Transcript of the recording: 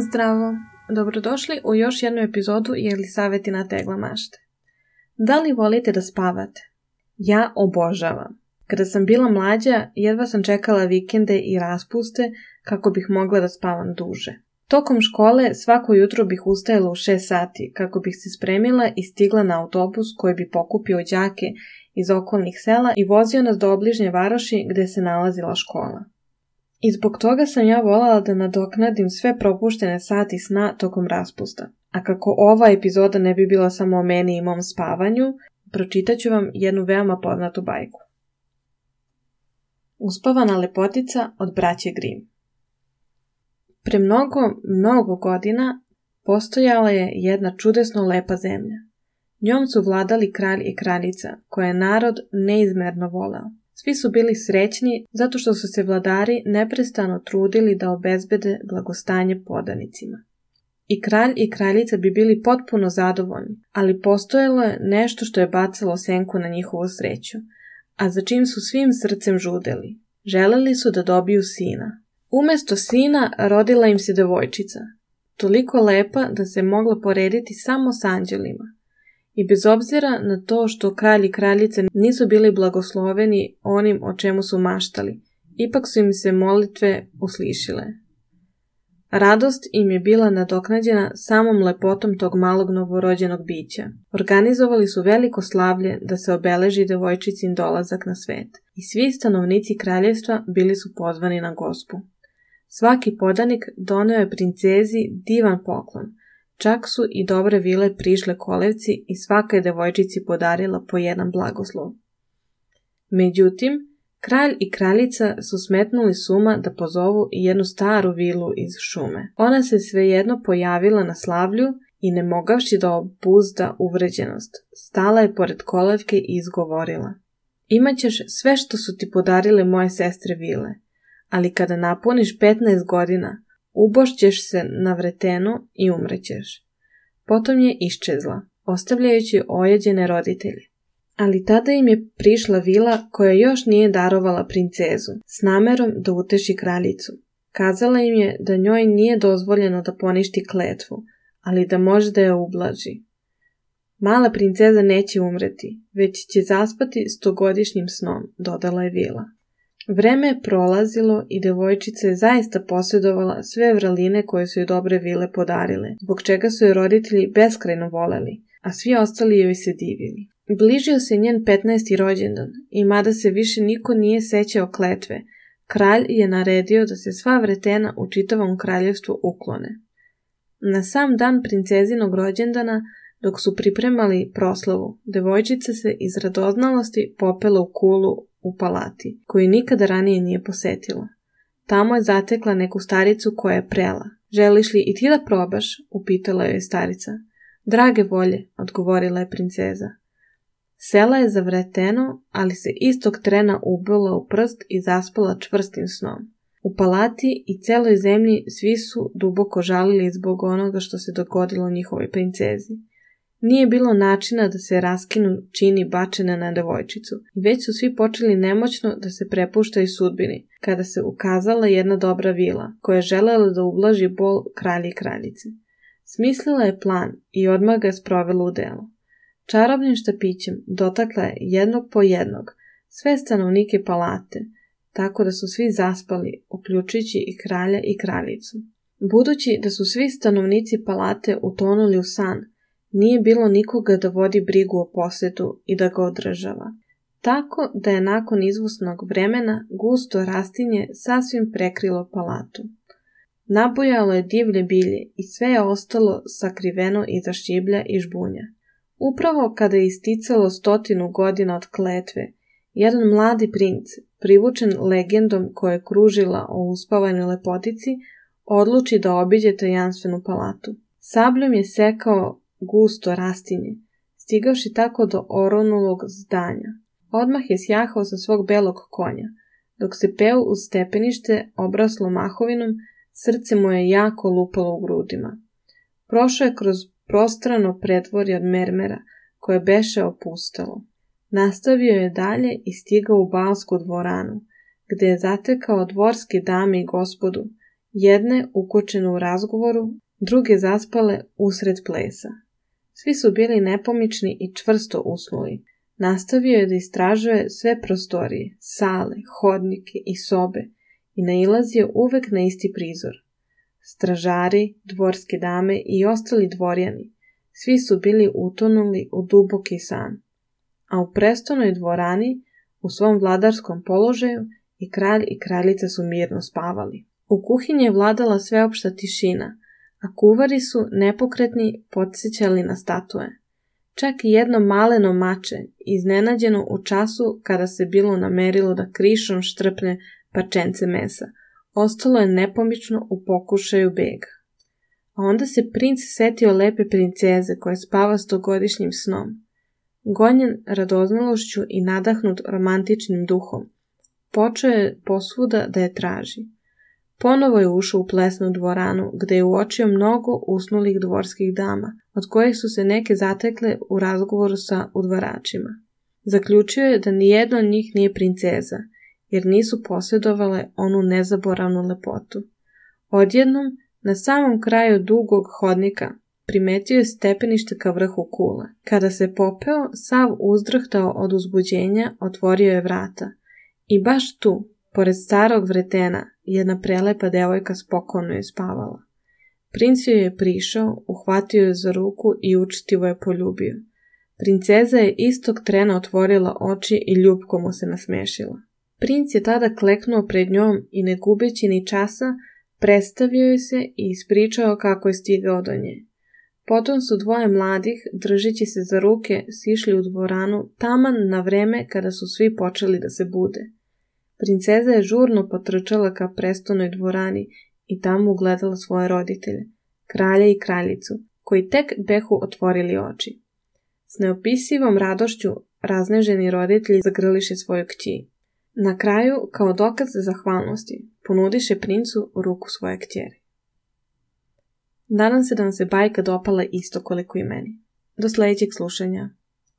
Zdravo, dobrodošli u još jednu epizodu Jelisavetina tegla mašte. Da li volite da spavate? Ja obožavam. Kada sam bila mlađa, jedva sam čekala vikende i raspuste kako bih mogla da spavam duže. Tokom škole svako jutro bih ustajala u 6 sati kako bih se spremila i stigla na autobus koji bi pokupio đake iz okolnih sela i vozio nas do obližnje varoši gde se nalazila škola. I zbog toga sam ja voljela da nadoknadim sve propuštene sati sna tokom raspusta. A kako ova epizoda ne bi bila samo o meni i mom spavanju, pročitat ću vam jednu veoma poznatu bajku. Uspavana lepotica od braće Grimm. Pre mnogo godina postojala je jedna čudesno lepa zemlja. Njom su vladali kralj i kraljica, koje je narod neizmerno voleo. Svi su bili srećni zato što su se vladari neprestano trudili da obezbede blagostanje podanicima. I kralj i kraljica bi bili potpuno zadovoljni, ali postojalo je nešto što je bacalo senku na njihovu sreću, a za čim su svim srcem žudeli. Želeli su da dobiju sina. Umesto sina rodila im se devojčica, toliko lepa da se mogla porediti samo s anđelima. I bez obzira na to što kralj i kraljica nisu bili blagosloveni onim o čemu su maštali, ipak su im se molitve uslišile. Radost im je bila nadoknađena samom lepotom tog malog novorođenog bića. Organizovali su veliko slavlje da se obeleži devojčicin dolazak na svet i svi stanovnici kraljevstva bili su pozvani na gospu. Svaki podanik doneo je princezi divan poklon. Čak su i dobre vile prišle kolevci i svaka je devojčici podarila po jedan blagoslov. Međutim, kralj i kraljica su smetnuli s uma da pozovu i jednu staru vilu iz šume. Ona se svejedno pojavila na slavlju i ne mogavši da obuzda uvređenost, stala je pored kolevke i izgovorila: "Imaćeš sve što su ti podarile moje sestre vile, ali kada napuniš 15 godina, ubošćeš se na vretenu i umrećeš." Potom je iščezla, ostavljajući ojeđene roditelje. Ali tada im je prišla vila koja još nije darovala princezu, s namerom da uteši kraljicu. Kazala im je da njoj nije dozvoljeno da poništi kletvu, ali da može da je ublaži. "Mala princeza neće umreti, već će zaspati 100-godišnjim snom," dodala je vila. Vreme je prolazilo i devojčica je zaista posjedovala sve vraline koje su joj dobre vile podarile, zbog čega su joj roditelji beskrajno voleli, a svi ostali joj se divili. Bližio se njen 15. rođendan i mada se više niko nije sećao kletve, kralj je naredio da se sva vretena u čitavom kraljevstvu uklone. Na sam dan princezinog rođendana, dok su pripremali proslavu, devojčica se iz radoznalosti popela u kulu u palati, koju nikada ranije nije posetila. Tamo je zatekla neku staricu koja je prela. "Želiš li i ti da probaš?" upitala joj starica. "Drage volje," odgovorila je princeza. Sela je za vreteno, ali se istog trena ubila u prst i zaspala čvrstim snom. U palati i celoj zemlji svi su duboko žalili zbog onoga što se dogodilo njihovoj princezi. Nije bilo načina da se raskinu čini bačene na devojčicu i već su svi počeli nemoćno da se prepuštaju sudbini, kada se ukazala jedna dobra vila, koja je želela da ublaži bol kralja i kraljice. Smislila je plan i odmah ga je sprovela u delo. Čarobnim štapićem dotakla je jednog po jednog sve stanovnike palate, tako da su svi zaspali, uključujući i kralja i kraljicu. Budući da su svi stanovnici palate utonuli u san, nije bilo nikoga da vodi brigu o posetu i da ga održava. Tako da je nakon izvusnog vremena gusto rastinje sasvim prekrilo palatu. Nabujalo je divlje bilje i sve je ostalo sakriveno iza šiblja i žbunja. Upravo kada je isticalo 100 godina od kletve, jedan mladi princ, privučen legendom koja je kružila o uspavanoj lepotici, odluči da obiđe tajanstvenu palatu. Sabljom je sekao gusto rastinje, stigavši tako do oronulog zdanja. Odmah je sjahao sa svog belog konja. Dok se peo uz stepenište obraslo mahovinom, srce mu je jako lupalo u grudima. Prošao je kroz prostrano predvorje od mermera, koje beše opustalo. Nastavio je dalje i stigao u balsku dvoranu, gde je zatekao dvorske dame i gospodu jedne ukočene u razgovoru, druge zaspale usred plesa. Svi su bili nepomični i čvrsto usnuli. Nastavio je da istražuje sve prostorije, sale, hodnike i sobe i nailazio uvek na isti prizor. Stražari, dvorske dame i ostali dvorjani, svi su bili utonuli u duboki san. A u prestonoj dvorani, u svom vladarskom položaju, i kralj i kraljica su mirno spavali. U kuhinji je vladala sveopšta tišina, a kuvari su, nepokretni, podsjećali na statue. Čak i jedno maleno mače, iznenađeno u času kada se bilo namerilo da krišom štrpne parčence mesa, ostalo je nepomično u pokušaju bega. A onda se princ setio lepe princeze koja spava 100-godišnjim snom. Gonjen radoznalošću i nadahnut romantičnim duhom, počeo je posvuda da je traži. Ponovo je ušao u plesnu dvoranu, gde je uočio mnogo usnulih dvorskih dama, od kojih su se neke zatekle u razgovoru sa udvaračima. Zaključio je da nijedna od njih nije princeza, jer nisu posjedovale onu nezaboravnu lepotu. Odjednom, na samom kraju dugog hodnika, primetio je stepenište ka vrhu kule. Kada se popeo, sav uzdrhtao od uzbuđenja, otvorio je vrata. I baš tu, pored starog vretena, jedna prelepa devojka spokojno je spavala. Princ joj je prišao, uhvatio je za ruku i učtivo je poljubio. Princeza je istog trena otvorila oči i ljubko mu se nasmešila. Princ je tada kleknuo pred njom i ne gubeći ni časa, predstavio je se i ispričao kako je stigao do nje. Potom su dvoje mladih, držeći se za ruke, sišli u dvoranu taman na vreme kada su svi počeli da se bude. Princeza je žurno potrčala ka prestonoj dvorani i tamo ugledala svoje roditelje, kralja i kraljicu, koji tek behu otvorili oči. S neopisivom radošću razneženi roditelji zagrliše svoju kći. Na kraju, kao dokaz zahvalnosti, ponudiše princu ruku svoje kćeri. Nadam se da vam se bajka dopala isto koliko i meni. Do sljedećeg slušanja.